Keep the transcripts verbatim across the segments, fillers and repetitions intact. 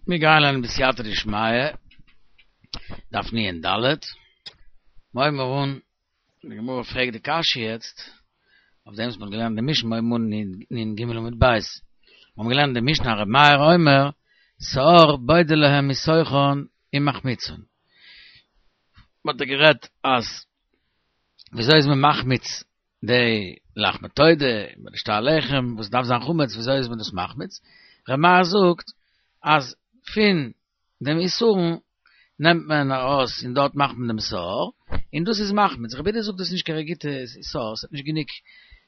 מיר גייען לערנען בסייעתא דשמיא, דף נ ד, מיר הייבן אן, די גמרא פרעגט די קשיא יעצט, אויף דעם וואס מ'האט געלערנט די משנה, מיר הייבן אן נ ג עמוד ב', מיר האבן געלערנט די משנה ר' מאיר אומר, שאור בודה להם מתוכן ומחמיצן. מ'האט דא גערעדט אז וויאזוי איז מען מחמיץ די לחמי תודה, מיט די שתי הלחם וואס דארף זיין חמץ, וויאזוי איז מען דאס מחמיץ? ר' מאיר זאגט אז פון דעם עישורן נעמט מען ארויס און דארט מאכט מען דעם שאור, און דאס איז מחמיץ. רבי יהודה זאגט דאס איז נישט קיין גוטע שאור, ס'האט נישט גענוג,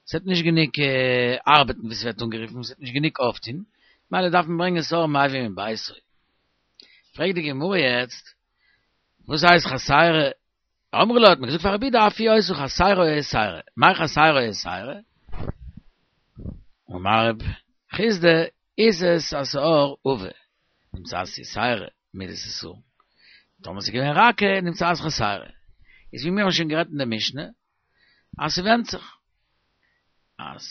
ס'האט נישט גענוג ארבעטן ווי ס'ווערט אנגערופן, ס'האט נישט גענוג אויפטון, ממילא דארף מען ברענגען שאור מביא מביתו. פרעגט די גמרא יעצט, וואס הייסט חסרה אמרו לו האט מען געזאגט פאר רבי יהודה אף היא היתה חסרה או יתירה, מאי חסרה או יתירה? אמר רב חסדא עיסת השעור עבה נמצאת יתירה מידת עיסורן, טאמער ס'איז געווען רכה נמצאת חסרה, איז ווי מיר האבן שוין גערעדט אין די משנה אז ס'ווענדט זיך אז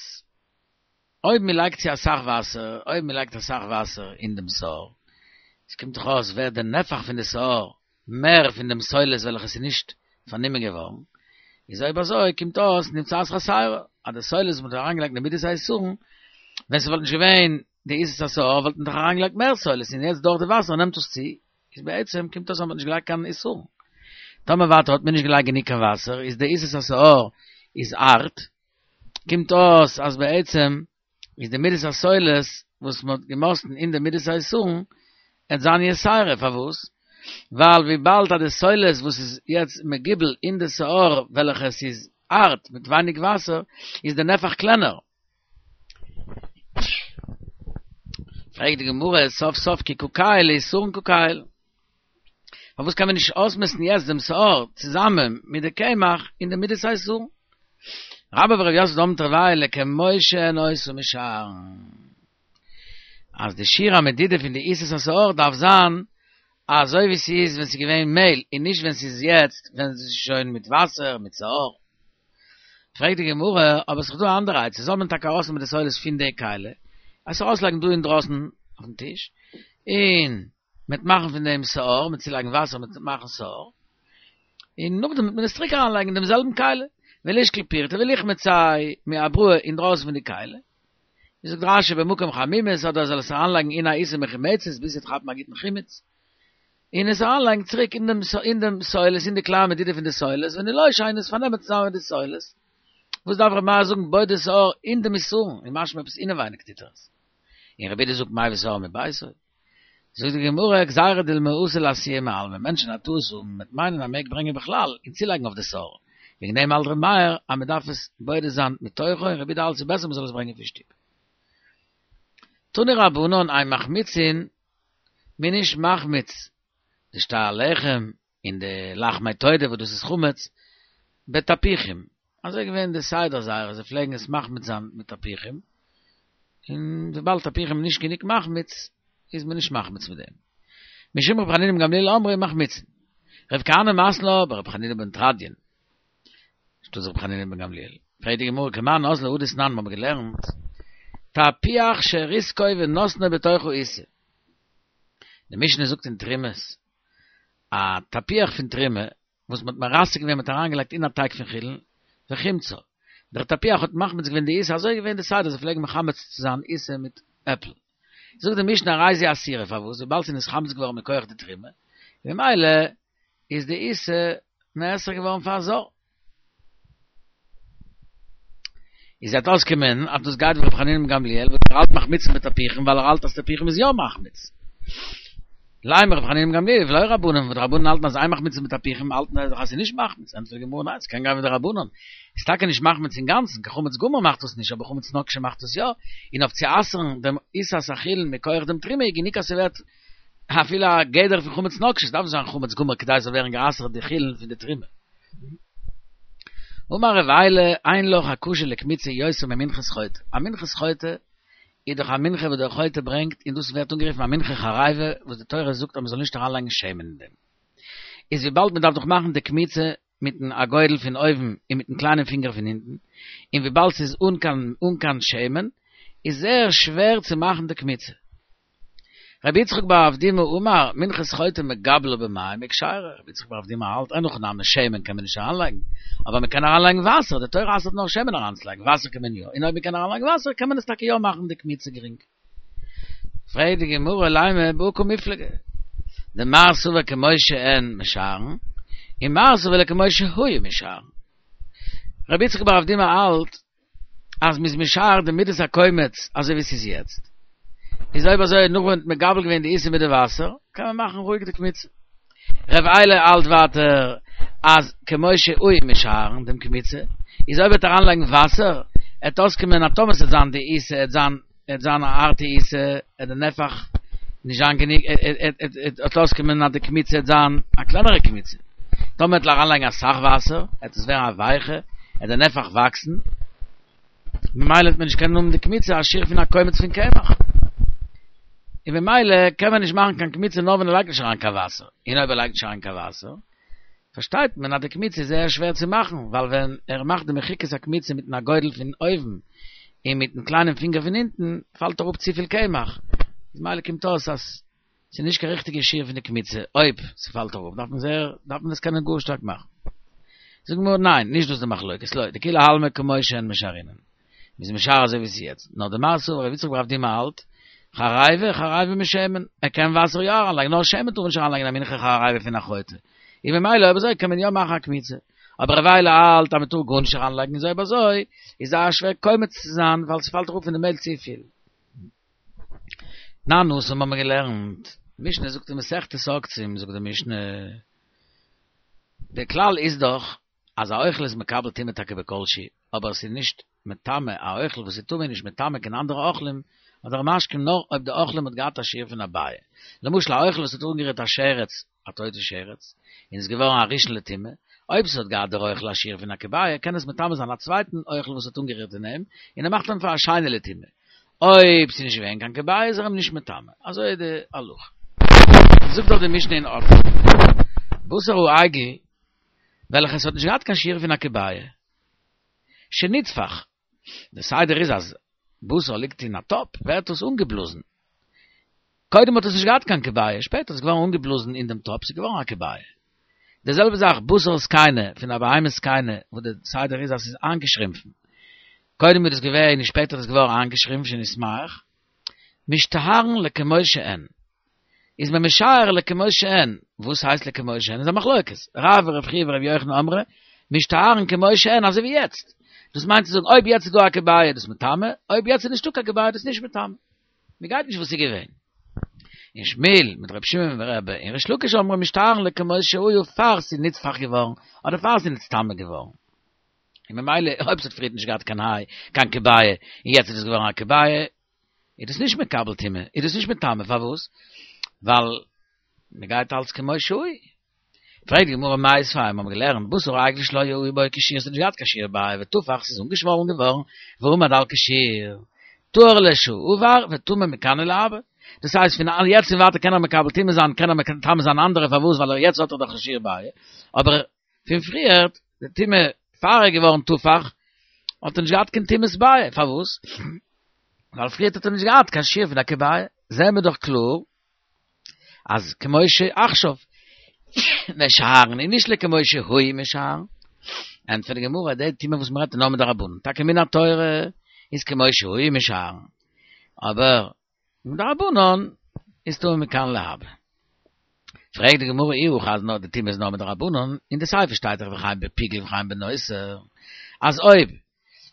אויב מ'לייגט צו אסאך וואסער, אויב מ'לייגט אסאך וואסער אין דעם שאור, עס קומט דאך אויס ווערט די נפח פון די שאור מער פון דעם סולת וועלכע איז נישט פארנומען געווארן, איז אויב אזוי קומט אויס נמצאת חסרה, אז די סולת וואס מ'האט אריינגעלייגט אין די מידת העישורן, ווען ס'וואלט נישט געווען די עיסת השעור וואלט מען דאך אריינגעלייגט מער סולת און יעצט דורך די וואסער נעמט עס צו, איז בעצם קומט אויס אז מ'האט נישט געלייגט קיין עישורן. טאמער ווייטער האט מען נישט געלייגט גענוג קיין וואסער איז די עיסת השעור איז הארט, קומט אויס אז בעצם איז די מידת הסולת וואס מען האט געמאסטן אין די מידת העישורן עט זיין יתירה, פארוואס? ווייל וויבאלד אז די סולת וואס איז יעצט מגובל אין די שאור וועלכע עס איז הארט מיט ווייניג וואסער איז די נפח קלענער. פרעגט די גמרא סוף סוף כי קא קייל לעישורן קא קייל. פארוואס קען מען נישט אויסמעסטן יעצט דעם שאור צוזאמען מיט די קמח אין די מידת העישורן? רבה ורב יוסף דאמרי תרוייהו לכמו שהן היו משערן אז די שיעור המדידה פון די עיסת השאור דארף זיין אזוי ווי ס'איז ווען ס'איז געווען מעהל און נישט ווען ס'איז יעצט ווען ס'איז שוין מיט וואסער מיט שאור. פרעגט די גמרא, אבער ס'איז דאך דא א אנדערע עצה, זאל מען טאקע ארויסנעמען די סולת פון די כלי, עס ארויסלייגן דא אינדרויסן אויפן טיש, און מ'וועט מאכן פון דעם שאור, מ'וועט צולייגן וואסער, מ'וועט מאכן שאור, און נאכדעם וועט מען עס צוריק אריינלייגן אין דעם זעלבן כלי, ולישקול פירתא וליחמיציה מאבראי אינדרויסן פון די כלי. ווי זאגט רשי במקום חמימות, אדער זאל עס אריינלייגן אין א עיסה מחומצת ביז ס'וועט כאפן א גוטן חימוץ, און עס אריינלייגן צוריק אין דעם אין דעם סולת, אין די כלי המדידה פון די סולת, ונילושיה און עס פארנעמען צוזאמען מיט די סולת. וואס דארף ר' מאיר זאגן בודה שאור אין דעם עישורן, איז משמע עפעס אינעווייניג טוט ער עס. און רבי יהודה זאגט מביא שאור מביתו. זאגט די גמרא, גזירה דילמא אתי לאתויי מאלמא, מענטשן א טעות האבן מ'וועט מיינען אז מ'מעג ברענגען בכלל און צולייגן אויף די שאור, וועגן דעם האלט ר' מאיר אז מ'דארף עס בודה זיין מתוכו און רבי יהודה האלט ס'איז בעסער מ'זאל עס ברענגען פון שטוב. תנו רבנן אין מחמיצין, מ'איז נישט מחמיץ די שתי הלחם און די לחמי תודה וואס דאס איז חמץ, בתפוחים, אזוי איז געווען די סדר זייערע, זיי פלעגן עס מחמיץ זיין מיט תפוחים, און וויבאלד תפוחים איז נישט גענוג מחמיץ, איז מען נישט מחמיץ מיט דעם. משום רבי חנינא בן גמליאל אמרו מחמיצין. רב כהנא מתני לה ברבי חנינא בן תרדיון, שטאט רבי חנינא בן גמליאל. פרעגט די גמרא כמאן אזלא הא דתנן מ'האבן געלערנט, תפוח שריסקו ונתנו בתוך העיסה. די משנה זאגט אין תרומות, א תפוח פון תרומה וואס מ'האט מרסק געווען מ'האט אריינגעלייגט אין א טייג פון חולין, וחימצה, דער תפוח האט מחמיץ געווען די עיסה, אזוי איז געווען די סדר, זיי פלעגן מחמץ צו זיין עיסה מיט עפל. זאגט די משנה הרי זו אסורה, פארוואס? וויבאלד ס'איז נתחמץ געווארן מכח די תרומה, ממילא איז די עיסה נאסר געווארן פאר א זר. איז וועט אויסקומען אז דאס גייט ווי רבי חנינא בן גמליאל וואס ער האלט מחמיצין בתפוחים ווייל ער האלט אז תפוחים איז יא מחמיץ. לימא רבי חנינא בן גמליאל ולא רבנן וואס די רבנן האלטן אז אין מחמיצין בתפוחים האלטן זיי דאך אז ס'איז נישט מחמיץ ענטפערט די גמרא ניין ס'קען גיין ווי די רבנן איז טאקע נישט מחמיץ אינגאנצן קיין חמץ גמור מאכט דאס נישט אבער חמץ נוקשה מאכט עס יא און אויף צו אסר'ן דעם עיסת החולין מכח דעם תרומה איז גענוג אז ס'ווערט אפילו א גדר פון חמץ נוקשה, ס'דארף נישט זיין חמץ גמור כדי ס'זאל ווערן גע'אסר'ט די חולין פון די תרומה. אמר רב עילאי, אין לך הקשה לקמיצה יותר ממנחת חוטא, א מנחת חוטא איז דאך א מנחה וואס דער חוטא ברענגט און דאס ווערט אנגערופן א מנחה חריבה וואס די תורה זאגט אז מ'זאל נישט אריינלייגן שמן אין דעם. איז וויבאלד מ'דארף דאך מאכן די קמיצה מיטן אגודל פון אויבן און מיטן קליינעם פינגער פון אונטן, און וויבאלד ס'איז אן קיין אן קיין שמן, איז זייער שווער צו מאכן די קמיצה. רבי יצחק בר אבדימי אמר, מנחת חוטא מגבלה במים וכשרה. רבי יצחק בר אבדימי האלט, אין הכי נמי שמן קען מען נישט אריינלייגן, אבער מען קען אריינלייגן וואסער, די תורה אסר'ט נאר שמן אריינצולייגן, וואסער קען מען יא, און אויב מען קען אריינלייגן וואסער קען מען עס טאקע יא מאכן די קמיצה גרינג. פרעגט די גמרא לימא בהא קמיפלגי, דמר סבר כמו שהן משערין, און מר סבר לכמו שהיו משערין. רבי יצחק בר אבדימי האלט אז מ'איז משער די מידת הקומץ אזוי ווי ס'איז יעצט. איז אויב אזוי נאך ווען מ'האט מגבל געווען די עיסה מיט די וואסער, קען מען מאכן רואיג די קמיצה. ר' אילעא האלט ווייטער אז כמו שהיו משערין דעם קמיצה, איז אויב ער וועט אריינלייגן וואסער, עט אויסקומען אז טאמער ס'עט זיין די עיסה עט זיין עט זיין א הארטע עיסה, עט די נפח נישט זיין גענוג, עט אויסקומען אז די קמיצה עט זיין א קלענערע קמיצה. טאמער עט אריינלייגן אסאך וואסער, עט עס ווערן א ווייכע, עט די נפח וואקסן, ממילא וועט מען נישט קענען האבן די קמיצה א שיעור פון א קומץ פון קמח. און ממילא קען מען נישט מאכן קיין קמיצה נאר ווען ער לייגט נישט אריין קיין וואסער. און אויב ער לייגט נישט אריין קיין וואסער, פארשטייט מען אז די קמיצה איז זייער שווער צו מאכן, ווייל ווען ער מאכט די מחיקת הקמיצה מיטן אגודל פון אויבן און מיטן קליינעם פינגער פון אונטן, פאלט אראפ צופיל קמח. איז ממילא קומט אויס אז ס'איז נישט קיין ריכטיגע שיעור פון די קמיצה, אויב ס'פאלט אראפ דארף מען זייער, דארף מען עס קענען גאר שטארק מאכן. זאגט די גמרא ניין, נישט דאס איז די מחלוקת, לא, דכולי עלמא כמו שהן משערינן. מ'איז משער אזוי ווי ס'איז יעצט. נאר דמר סבר רבי יצחק בר אבדימי האלט, חריבה חריבה משמן, ער קען וואסער יא אריינלייגן, נאר שמן טאר מען נישט אריינלייגן אין א מנחה חריבה פון א חוטא. און ממילא אויב אזוי קען מען יא מאכן א קמיצה. אבער ר' אילעא האלט אז מ'טאר גארנישט אריינלייגן איז אויב אזוי איז זייער שווער קומץ צו זיין ווייל ס'פאלט אראפ פון די מעהל צופיל. תנן התם האבן מיר געלערנט, משנה זאגט אין מסכת עוקצין זאגט די משנה, דער כלל איז דאך אז א אוכל איז מקבל טומאה טאקע בכל שהוא, אבער עס איז נישט מטמא, א אוכל וואס איז טמא איז נישט מטמא קיין אנדערע אוכלים אדער משקים נאר אויב די אוכלים האט געהאט א שיעור פון א ביעא, למשל א אוכל וואס האט אנגערירט א שרץ, א טויטע שרץ, און איז געווארן א ראשון לטומאה, אויב ס'האט געהאט דער אוכל א שיעור פון א כביעא קען עס מטמא זיין א צווייטן אוכל וואס האט אנגערירט אין אים, און ער מאכט אים פאר א שני לטומאה. אויב ס'איז נישט געווען קיין כביעא איז ער אים נישט מטמא. אזוי איז די הלכה. זאגט דאך די משנה אין עוקצין, בשר העגל וועלכעס האט נישט געהאט קיין שיעור פון א כביעא, שנתפח, די סדר איז אז בשר ליגט אין א טאפ ווערט עס אנגעבלאזן, קודם האט עס נישט געהאט קיין כביעא, שפעטער איז עס געווארן אנגעבלאזן אין דעם טאפ, ס'איז געווארן א כביעא. די זעלבע זאך בשר זקנה פון א בהמה זקנה וואס די סדר איז אז ס'איז איינגעשרימפן, קודם איז דאס געווען און שפעטער איז עס געווארן איינגעשרימפן שנתמעך, משתערין לכמו שהן, איז מען משער לכמו שהן, וואס הייסט לכמו שהן? איז א מחלוקת, רב ורב חייא ורבי יוחנן אמרי, משתערין כמו שהן אזוי ווי יעצט, דאס מיינט צו זאגן אויב יעצט איז דא א כביעא איז דאס מטמא, אויב יעצט איז נישטא קיין כביעא איז דאס נישט מטמא. מען גייט נישט וואס איז געווען. און שמואל מיט רבי שמעון ברבי און ריש לקיש אמרי משתערין לכמו שהיו פאר ס'איז נתפח געווארן אדער פאר ס'איז נצטמא געווארן. און ממילא אויב ס'האט פריערט נישט געהאט קיין היי קיין כביעא און יעצט איז עס געווארן א כביעא איז דאס נישט מקבל טומאה, איז דאס נישט מטמא, פארוואס? ווייל מען גייט אלץ כמו שהיו. פרעגט די גמרא מיתיבי, מיר האבן געלערנט בשר העגל שלא היה בו כשיעור, ס'האט נישט געהאט קיין שיעור ביעא ותפח, ס'איז אנגעשוואלן געווארן, ועמד על כשיעור, טהור לשעבר וטמא מכאן ולהבא. דאס הייסט פון יעצט און ווייטער קען ער מקבל טומאה זיין, קען ער מטמא זיין אנדערע, פארוואס? ווייל יעצט האט ער דאך א שיעור ביעא, אבער פון פריערט, די טומאה פאר ער איז געווארן תפח, האט ער נישט געהאט קיין טומאת ביעא, פארוואס? ווייל פריערט האט ער נישט געהאט קיין שיעור פון א כביעא, זעהן מיר דאך קלאר אז כמו שעכשיו משערין און נישט לכמו שהיו משערין. ענטפערט די גמרא, די טומאה וואס מ'רעדט איז נאר מדרבנן, טאקע מן התורה איז כמו שהיו משערין, אבער מדרבנן איז טמא מכאן ולהבא. פרעגט די גמרא אי הכי אז נאר די טומאה איז נאר מדרבנן, אין די סיפא שטייט דאך וכן בפיגול וכן בנותר, אז אויב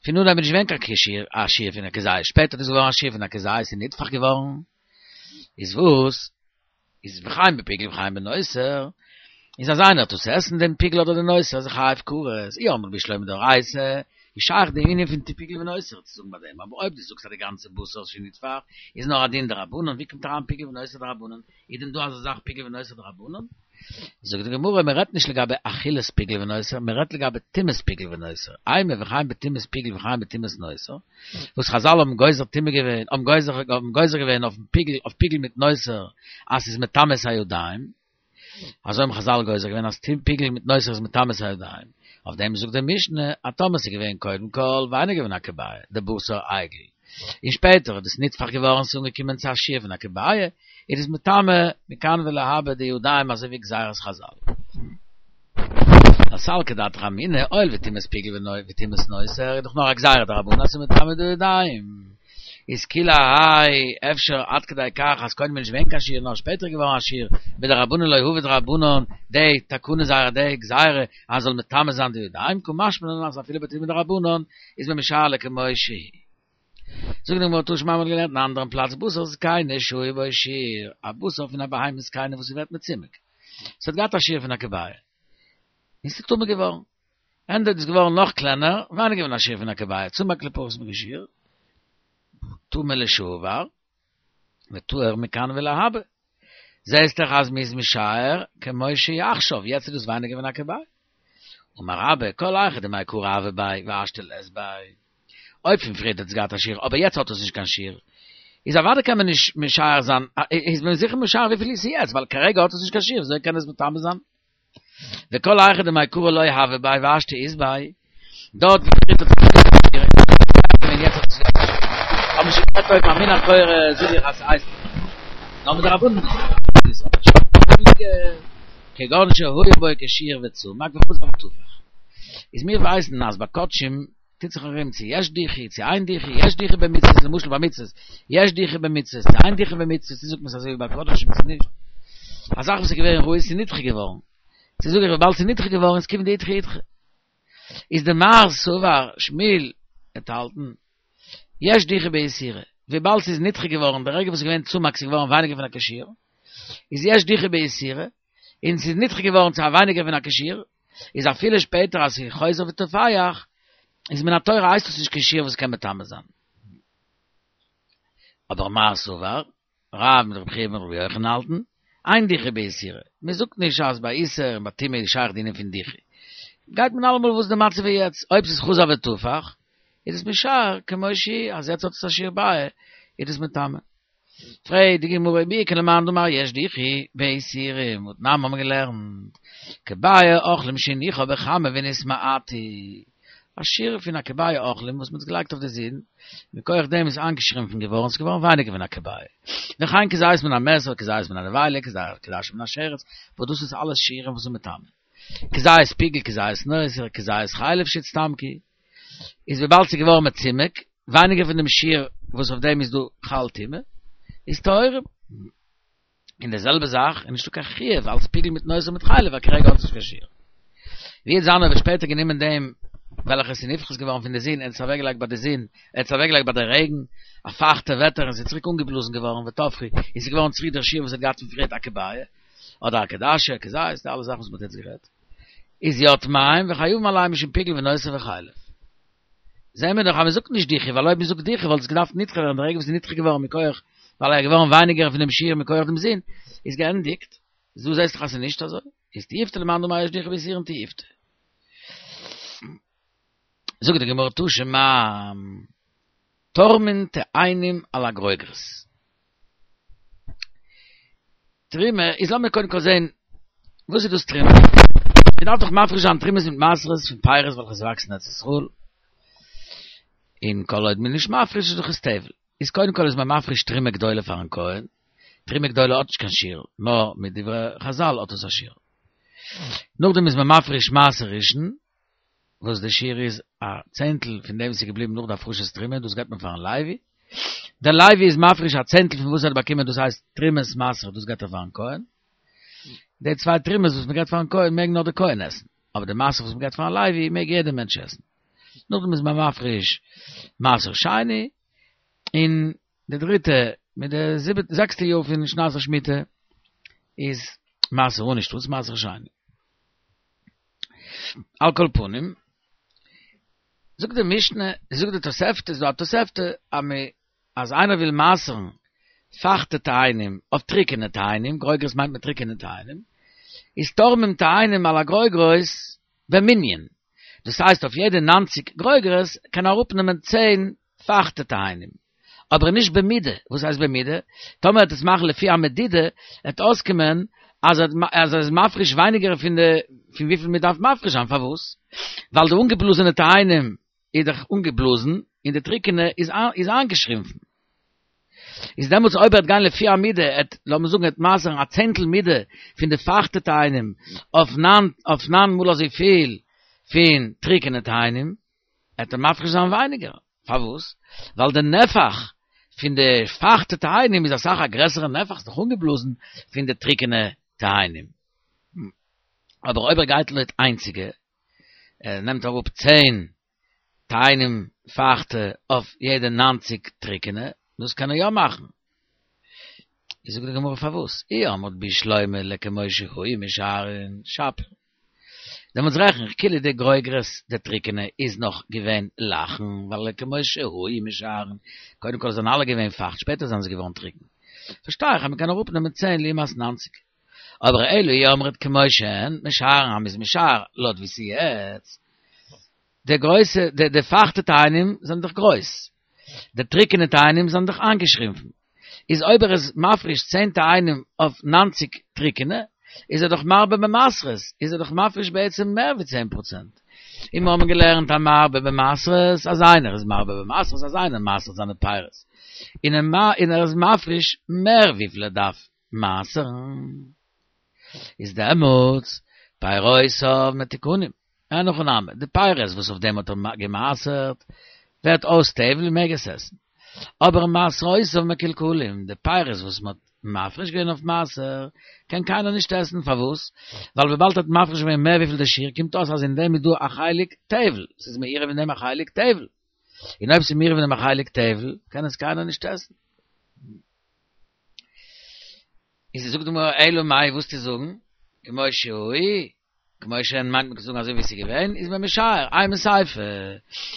פון אנהייב איז נישט געווען קיין שיעור א שיעור פון א כזית, שפעטער איז געווארן א שיעור פון א כזית און נתפח געווארן, איז וואס? איז וכן בפיגול וכן בנותר, איז אז איינער טוט עס עסן דעם פיגול אדער די נותר איז ער חייב כרת, אי אמרת בשלמא דאורייתא, איז שייך די ענין פון פיגול ונותר צו זאגן ביי דעם, אבער אויב דו זאגסט אז די גאנצע בשר שנתפח איז נאר א דין דרבנן, ווי קומט אריין פיגול ונותר דרבנן? איז דען דא אזא זאך פיגול ונותר דרבנן? זאגט די גמרא, מען רעדט נישט לגבי אכילת פיגול ונותר, מען רעדט לגבי טומאת פיגול ונותר, אימא וכן בטומאת פיגול וכן בטומאת נותר, וואס חזל האבן גוזר טומאה געווען, האבן גוזר האבן גוזר געווען אויפן פיגול, אויף פיגול מיט נותר, אז ס'איז מטמא את הידיים, אזוי האבן חזל גוזר געווען אז פיגול מיט נותר איז מטמא את הידיים, אויף דעם זאגט די משנה, אז טאמער ס'איז געווען קודם כל ווייניגער פון א כביעא, די בשר העגל, און שפעטער איז דאס נתפח געווארן ס'איז אנגעקומען צו א שיעור פון א כביעא, איז עס מטמא מכאן ולהבא די ידיים אזוי ווי גזירת חזל. סלקא דעתך אמינא, הואיל וטומאת פיגול וטומאת נותר איז דאך נאר א גזירה דרבנן אז ס'איז מטמא די ידיים. איז כולי האי אפשר עד כדי כך אז קודם איז נישט געווען קיין שיעור נאר שפעטער איז געווארן א שיעור, מדרבנן לא עביד רבנן די תקנה זייערע די גזירה אז זאל מטמא זיין די ידיים, קא משמע לן אז אפילו בטומאה דרבנן איז מען משער לכמות שהיא. זאגט די גמרא תא שמע מ'האט געלערנט אין א אנדערן פלאץ בשר זקנה שהיה בו שיעור, א בשר פון א בהמה זקנה וואס ס'ווערט מצומק, ס'האט געהאט א שיעור פון א כביעה, און ס'איז טמא געווארן, ענדע איז געווארן נאך קלענער, ווייניגער פון א שיעור פון א כביעה, צמק לפחות מכשיעור, טמא לשעבר, וטהור מכאן ולהבא. זעהסט דאך אז מ'איז משער כמו שהיא עכשיו, יעצט איז דאס ווייניגער פון א כביעה. אמר רבה, כל היכא דמעיקרא הוה ביה והשתא לית ביה. אויב פון פריערט האט עס געהאט א שיעור אבער יעצט האט עס נישט קיין שיעור, איז אוודאי קען מען נישט משער זיין, איז מען זיכער משער וויפיל איז יעצט, ווייל כרגע האט עס נישט קיין שיעור, וויאזוי קען עס מטמא זיין? וכל היכא דמעיקרא לא הוה ביה והשתא אית ביה, דארט ווי פריערט האט עס נישט געהאט קיין שיעור, און יעצט האט עס יא א שיעור. האבן שוין גערעדט אויב מן התורה זאג איך אז ס'הייסט נאר מדרבנן איז עס כגון שהיה בו כשיעור וצמק וחזר וטפח. איז מיר ווייסן אז ביי קדשים טוט זיך ארום צו יש דיחוי צו אין דיחוי, יש דיחוי במצוות למשל ביי מצוות, יש דיחוי במצוות צו אין דיחוי במצוות, צו זאגט מען עס אזוי ווי ביי קדשים צו נישט. א זאך וואס איז געווען ראוי איז נדחה געווארן. צו זאג איך וויבאלד ס'איז נדחה געווארן איז כיון דאידחי אידחי. איז דמר סבר שמואל וועט האלטן יש דיחוי באיסורא, וויבאלד ס'איז נדחה געווארן די רגע וואס ס'איז געווען צמק ס'איז געווארן ווייניגער פון א כשיעור, איז יש דיחוי באיסורא, און ס'איז נדחה געווארן צו א ווייניגער פון א כשיעור, איז אפילו שפעטער אז ס'איז חוזר וטופח, איז מן התורה הייסט עס נישט קיין שיעור וואס קען מטמא זיין. אבער מר סבר, רב מיט רבי חייא מיט רבי יוחנן האלטן, אין דיחוי באיסורא, מען זאגט נישט אז ביי איסור און ביי טומאה איז שייך די ענין פון דיחוי. גייט מען אלעמאל וואס די מצב איז יעצט, אויב ס'איז חזר וטפח, איז עס משער כמו שהיא, אז יעצט האט עס א שיעור ביעה, איז עס מטמא. פרעגט די גמרא ומי איכא למאן דאמר יש דיחוי באיסורים, והתנן האבן מיר געלערנט, כביעה אוכלים שהניחה בחמה ונתמעטו, א שיעור פון א כביעה אוכלים וואס מען האט געלייגט אויף די זון, מכח דעם איז איינגעשרימפן געווארן, ס'איז געווארן ווייניגער פון א כביעה. וכן כזית מן המת, כזית מן הנבילה, כעדשה מן השרץ, וואס דאס איז אלעס שיעורים וואס איז מטמא. כזית פיגול, כזית נותר, כזית חלב שהצטמקו, איז וויבאלד ס'איז געווארן מצומק, ווייניגער פון דעם שיעור וואס אויף דעם איז דא חל טומאה, איז טהורים. און די זעלבע זאך איז נישטא קיין חיוב אלס פיגול מיט נותר מיט חלב ווייל כרגע האט עס נישט קיין שיעור. ווי וועט זיין אויב ער האט שפעטער גענומען דעם וועלכע עס איז נפחת געווארן פון די זון ער האט עס אוועקגעלייגט ביי די זון ער האט עס אוועקגעלייגט ביי די רעגן א פייכטע וועטער און עס איז צוריק אנגעבלאזן געווארן וטפחו און עס איז געווארן צוריק דער שיעור וואס ער האט געהאט פון פריערט א כביעה אדער א כעדשה א כזית די אלע זאכן וואס מען האט יעצט גערעדט איז יא טמאים וחייבים עליהם משום פיגול ונותר וחלב. זעהן מיר דאך אז מען זאגט נישט דיחוי, ווייל אויב מען זאגט דיחוי וואלט עס געדארפט נדחה ווערן, די רגע וואס איז נדחה געווארן מכח ווייל ער איז געווארן ווייניגער פון דעם שיעור מכח דעם זון, איז געענדיגט, איז דא זעהסט דאך אז ס'איז נישט אזוי, איז תיובתא למאן דאמר יש דיחוי באיסורין תיובתא. זאגט די גמרא תא שמע, תורמין תאנים על הגרוגרות. תרומה איז לאמיר קודם כל זעהן וואס איז דאס תרומה? מען דארף דאך מפריש זיין תרומות מיט מעשרות פון פירות וועלכע עס וואקסן אין ארץ ישראל, און כל עוד מען איז נישט מפריש איז דאך עס טבל, איז קודם כל איז מען מפריש תרומה גדולה פארן כהן, תרומה גדולה האט נישט קיין שיעור, נאר מדברי חזל האט עס א שיעור. נאכדעם איז מען מפריש מעשר ראשון, וואס די שיעור איז א צענטל פון דעם וואס איז געבליבן נאך די הפרשת תרומה, דאס געבט מען פארן לוי, דער לוי איז מפריש א צענטל פון וואס ער האט באקומען דאס הייסט תרומת מעשר דאס געבט ער פארן כהן, די צוויי תרומות וואס מען געבט פארן כהן מעג נאר דער כהן עסן, אבער די מעשר וואס מען געבט פארן לוי מעג יעדער מענטש עסן. נאכדעם איז מען מפריש מעשר שני, און די דריטע מיט די זיבעטע זעקסטע יאר פון שנת השמיטה איז מעשר עני אנשטאטס מעשר שני. על כל פנים, זאגט די משנה, זאגט די תוספתא, איז דא א תוספתא, אז מען, אז איינער וויל מעשר'ן פייכטע תאנים אויף טריקענע תאנים, גרוגרות מיינט מען טריקענע תאנים, איז תורמים תאנים על הגרוגרות במנין, דאס הייסט אויף יעדע נײַנציק גרוגרות קען ער אראפנעמען צען פייכטע תאנים, אבער נישט במידה, וואס הייסט במידה? טאמער ער וועט עס מאכן לפי המדידה, וועט אויסקומען אז ער איז מפריש ווייניגער פון די פון וויפיל מען דארף מפריש זיין, פארוואס? ווייל די אנגעבלאזענע תאנים איז דאך אנגעבלאזן און די טריקענע איז איז איינגעשרימפן. איז דעמאלטס אויב ער וועט גיין לפי המידה, ער וועט, לאמיר זאגן, ער וועט מעשר'ן א צענטל מידה פון די פייכטע תאנים אויף ניין, אויף ניין מאל אזויפיל פון טריקענע תאנים, וועט ער מפריש זיין ווייניגער. פארוואס? ווייל די נפח פון די פייכטע תאנים איז אסאך א גרעסערע נפח, ס'איז דאך אנגעבלאזן, פון די טריקענע תאנים. אבער אויב ער גייט לויט איינציגע, ער נעמט אראפ צען תאנים פייכטע אויף יעדע נײַנציק טריקענע, דאס קען ער יא מאכן. איז זאגט די גמרא פארוואס? אי אמרת בשלמא לכמו שהיו משערין שפיר. דעמאלטס רעכן איך כאילו די גרוגרות די טריקענע איז נאך געווען לחין, ווייל לכמו שהיו משערין, קודם כל זענען אלע געווען פייכט שפעטער זענען זיי געווארן טריקן. פארשטיי איך אז מ'קען אראפנעמען צען לעומת נײַנציק. אבער אלא אי אמרת כמו שהן משערין אז מ'איז משער לויט ווי ס'איז יעצט. די גרויסע, די די פייכטע תאנים זענען דאך גרויס, די טריקענע תאנים זענען דאך איינגעשרימפן, איז אויב ער איז מפריש צען תאנים אויף נײַנציק טריקענע, איז ער דאך מרבה במעשרות, איז ער דאך מפריש בעצם מער ווי צען פראצענט. און מיר האבן געלערנט המרבה במעשרות, אז איינער איז מרבה במעשרות, אז איינער מעשר'ט זיינע פירות, און ער איז מפריש מער וויפיל ער דארף מעשר'ן, איז דעמאלטס פירותיו מתוקנים, אין הכי נמי, די פירות וואס אויף דעם האט ער געמעשר'ט, ווערט אויס טבל און מעג עס עסן. אבער מעשרותיו מקולקלים, די פירות וואס מען האט מפריש געווען אויף מעשר, קען קיינער נישט עסן, פארוואס? ווייל וויבאלד ער האט מפריש געווען מער וויפיל די שיעור, קומט אויס אז אין דעם איז דא א חלק טבל, ס'איז מעורב אין דעם א חלק טבל, און אויב ס'איז מעורב אין דעם א חלק טבל, קען עס קיינער נישט עסן. איז זאגט די גמרא אלא מאי וואס צו זאגן, כמו שהיו, כמו שהן מיינט מען צו זאגן אזוי ווי עס איז געווען, איז מען משער, אימא סיפא,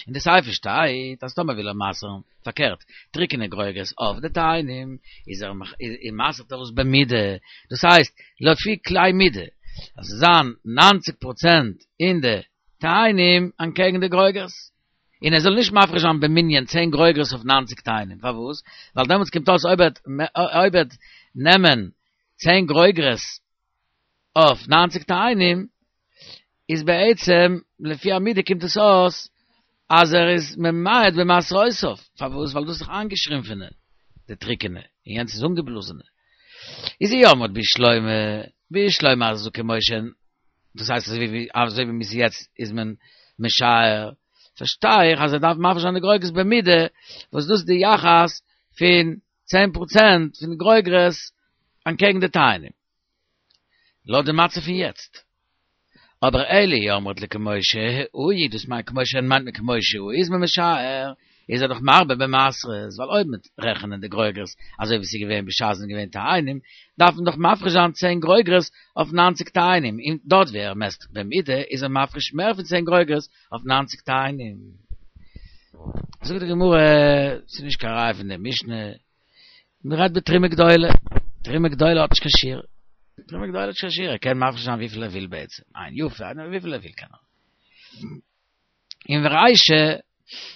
אין די סיפא שטייט אז טאמער וויל ער מעשר'ן, פארקערט, טריקענע גרוגרות אויף די תאנים, איז ער מעשר'ט ער עס במידה, דאס הייסט, לפי כלי מידה, אז עס זאל זיין נײַנציק פראצענט אין די תאנים אנטקעגן די גרוגרות. און ער זאל נישט מפריש זיין במנין צען גרוגרות אויף נײַנציק תאנים, פארוואס? ווייל דעמאלטס קומט אויס אויב ער וועט נעמען צען גרוגרות אויף נײַנציק תאנים, איז בעצם לפי המידה קומט עס אויס אז ער איז ממעט במעשרותיו, פארוואס? ווייל דאס איז דאך איינגעשרימפענע, די טריקענע, און יענץ איז אנגעבלאזענע. איז אי אמרת בשלמא, בשלמא אז כמו שהן, דאס הייסט אזוי ווי אזוי ווי מ'איז יעצט איז מען משער, פארשטיי איך אז ער דארף מפריש זיין די גרוגרות במידה, וואס דאס איז די יחס פון צען פראצענט פון די גרוגרות אנטקעגן די תאנים. לויט די מצב פון יעצט. אבער אלא אי אמרת לכמו שהיו, דאס מיינט כמו שהן מיינט מען כמו שהיו איז מען משער, איז ער דאך מרבה במעשרות, ווייל אויב מ'וועט רעכענען די גרוגרות אזוי ווי ס'איז געווען בשעת זענען געווען תאנים, דארף מען דאך מפריש זיין צען גרוגרות אויף נײַנציק תאנים, און דארט ווי ער מעסט במידה איז ער מפריש מער פון צען גרוגרות אויף נײַנציק תאנים. זאגט די גמרא, ס'איז נישט קיין ראיה פון די משנה, מ'רעדט בתרומה גדולה, תרומה גדולה האט נישט קיין שיעור, תרומה גדולה האט נישט קיין שיעור, ער קען מפריש זיין וויפיל ער וויל בעצם, עין יפה, וויפיל ער וויל קען ער. און ורישא,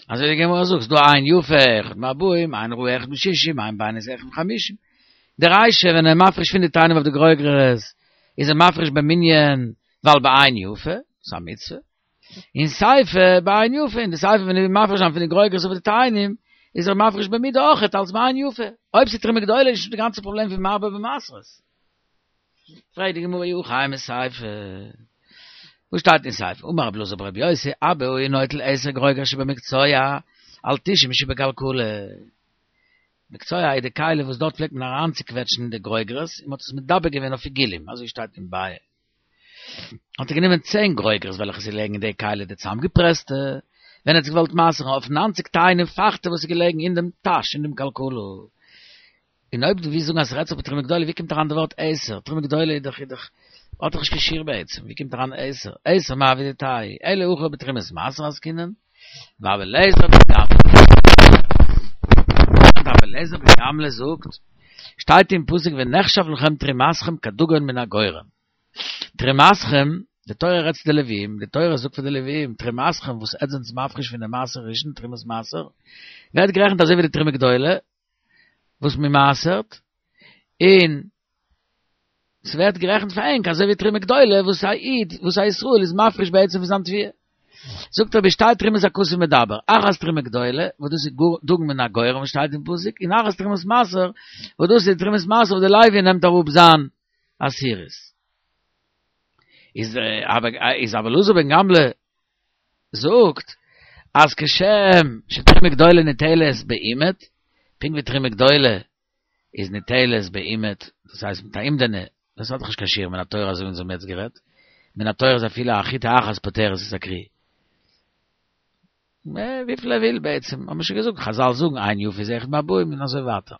אזוי ווי די גמרא זאגט, ס'דא עין יפה אחד מארבעים, עין רעה אחד משישים, עין בינונית אחד מחמישים. די רישא ווען ער מפריש פון די תאנים אויף די גרוגרות, איז ער מפריש במנין ווייל בעין יפה, ס'איז א מצוה. און סיפא בעין יפה, און די סיפא ווען ער וויל מפריש זיין פון די גרוגרות אויף די תאנים, איז ער מפריש במידה אויכעט אלס בעין יפה. אויב ס'איז תרומה גדולה איז נישטא די גאנצע פראבלעם פון מרבה במעשרות. פרעגט די גמרא אי הכי אימא סיפא, וואס שטייט אין סיפא? אמר רבי אלעזר ברבי יוסי, אבא היה נוטל עשר גרוגרות שבמקצוע על תשעים שבכלכלה. מקצוע איז די כלי וואס דארט פלעגט מען אריינצוקוועטשן די גרוגרות און מען האט עס מדבק געווען אויף עיגולים, אזוי שטייט אין ביעא. האט ער גענומען צען גרוגרות וועלכע איז געלעגן אין די כלי די צוזאמגעפרעסטע, ווען ער האט זיך געוואלט מעשר'ן אויף נײַנציק תאנים פייכטע וואס איז געלעגן אין דעם טאש אין דעם כלכלה. און אויב דו ווילסט זאגן אז ס'רעדט זיך בתרומה גדולה, ווי קומט אריין די ווארט עשר? תרומה גדולה איז דאך איז דאך האט דאך נישט קיין שיעור בעצם, ווי קומט אריין עשר? עשר מאי עבידתייהו? אלא הכא בתרומת מעשר עסקינן, ורבי אליעזר בן גמלא, רבי אליעזר בן גמלא זאגט, שטייט אין פסוק ונחשב לכם תרומתכם כדגן מן הגורן. תרומתכם, די תורה רעדט צו די לוויים, די תורה זאגט פאר די לוויים, תרומתכם וואס עטס זענטס מפריש פון די מעשר ראשון, תרומת מעשר, ווערט גערעכנט אזוי ווי די תרומה גדולה, וואס מען מעשר'ט, און ס'ווערט גערעכנט פאר ענק אזוי ווי תרומה גדולה וואס א איד, וואס א ישראל איז מפריש בעצם פון זיין תבואה. זאגט ער בשתי תרומות הכתוב מדבר, אחת תרומה גדולה, וואס דאס איז דגן מן הגורן וואס שטייט אין פסוק, און אחת תרומת מעשר, וואס דאס איז תרומת מעשר וואס די לוי נעמט אראפ זיין עשירית. איז אבער איז רבי אלעזר בן גמלא זאגט אז כשם שתרומה גדולה ניטלת באימד, פונקט ווי תרומה גדולה איז ניטלת באימד, דאס הייסט מיט א אומדנא, דאס האט דאך נישט קיין שיעור מן התורה אזוי ווי אונז האבן יעצט גערעדט, מן התורה איז אפילו א חיטה אחת פוטרת את הכרי. וויפיל ער וויל בעצם, האבן מיר שוין געזאגט, חזל זאגן עין יפה איז אחד מארבעים און אזוי ווייטער.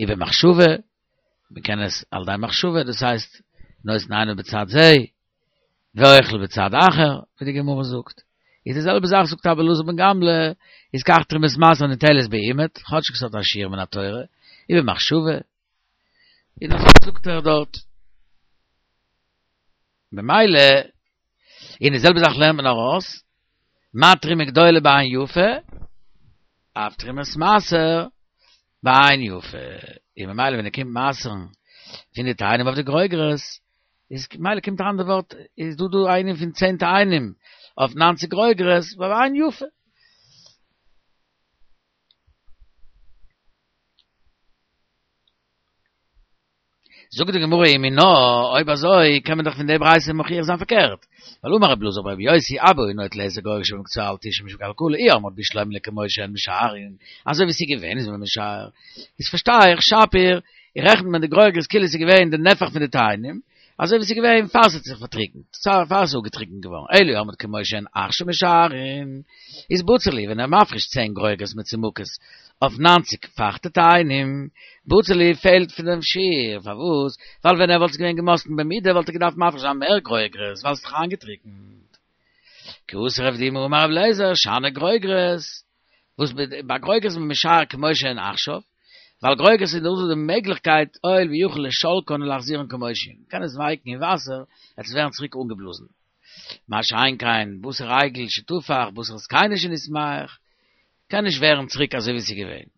ובמחשבה, מען קען עס על ידי מחשבה, דאס הייסט, נותן עיניו בצד זה, ואוכל בצד אחר, ווי די גמרא זאגט. איז די זעלבע זאך זאגט רבי אלעזר בן גמלא, איז כך תרומת מעשר ניטלת באימד, כאטשיג ס'האט א שיעור מן התורה, ובמחשבה, און אזוי זאגט ער דארט. במילא, און די זעלבע זאך לערנט מען ארויס, מה תרומה גדולה בעין יפה, אף תרומת מעשר בעין יפה. און ממילא ווען ער קומט מעשר'ן פון די תאנים אויף די גרוגרות, איז ממילא קומט אריין די ווארט, איז דא דא א ענין פון צען תאנים אויף נײַנציק גרוגרות, בעין יפה. זאגט די גמרא ומינה, אויב אזוי קען מען דאך פון די ברייתא מוכיח זיין פארקערט, ווייל אמר רבי אלעזר ברבי יוסי אבא היה נוטל עשר גרוגרות שבמקצוע על תשעה משום קלקלה אי אמרת בשלמא לכמו שהן משערין, אזוי ווי ס'איז געווען איז מען משער, איז פארשטיי איך שפיר, רעכנט מען די גרוגרות כאילו ס'איז געווען די נפח פון די תאנים, אזוי ווי ס'איז געווען פאר ס'האט זיך פארטריקנט, פאר ס'איז אפגעטריקנט געווארן, אלא אי אמרת כמו שהן עכשיו משערין, איז בציר להו ווען ער מפריש צען גרוגרות מצומקות אויף נײַנציק פייכטע תאנים, בציר להו פעלט פון דעם שיעור, פארוואס? ווייל ווען ער וואלט עס געווען געמאסטן במידה וואלט ער געדארפט מפריש זיין מער גרוגרות, ווייל ס'איז דאך איינגעטריקנט. כי אתא רב דימי אמר רבי אליעזר, שאני גרוגרות, וואס ביי גרוגרות איז מען משער כמו שהן עכשיו, ווייל גרוגרות איז דא די מעגליכקייט הואיל ויכול לשלקן ולהחזירן כמו שהן, מ'קען עס ווייקן אין וואסער, עס וועט ווערן צוריק אנגעבלאזן. מה שאין כן בשר עגל שתפח, בשר זקנים שנסמך, קען נישט ווערן צוריק אזוי ווי עס איז געווען.